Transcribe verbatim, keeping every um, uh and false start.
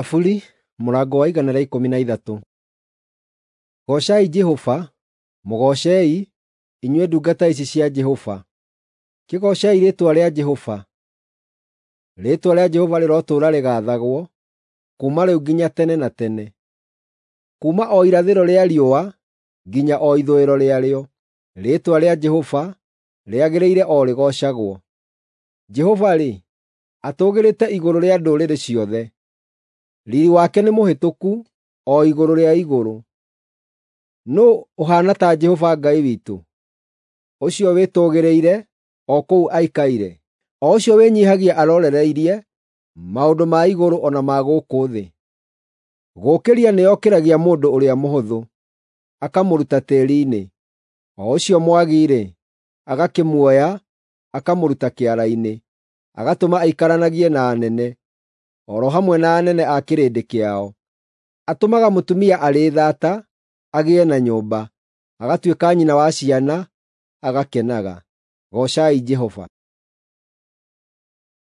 Thaburi mũrango wa igana rĩa ikũmi na ithatũ. Goocai Jehova. Mũgoocei, inyuĩ ndungata ici cia Jehova, kĩgoocei rĩĩtwa rĩa Jehova. Rĩĩtwa rĩa Jehova rĩrotũũra rĩgaathagwo, kuuma rĩu nginya tene na tene. Kuuma o irathĩro rĩa riũa nginya o ithũĩro rĩarĩo, rĩĩtwa rĩa Jehova rĩagĩrĩire o rĩgoocagwo. Jehova-rĩ, atũũgĩrĩte igũrũ rĩa ndũrĩrĩ ciothe, riiri wake nĩmũhĩtũku o igũrũ rĩa igũrũ. Nũũ ũhaana ta Jehova Ngai witũ, ũcio wĩtũũgĩrĩire o kũu aikaire, o ũcio wĩnyiihagia arorereirie maũndũ ma igũrũ o na ma gũkũ thĩ? Gũũkĩria nĩokĩragia mũndũ ũrĩa mũhũthũ, akamũruta tĩĩri-inĩ, o ũcio mwagi-rĩ, agakĩmuoya akamũruta kĩara-inĩ, agatũma aikaranagie na anene, o ro hamwe na anene a kĩrĩndĩ kĩao. Atũmaga mũtumia arĩ thaata agĩe na nyũmba, agatuĩka nyina wa ciana, agakenaga. Goocai Jehova.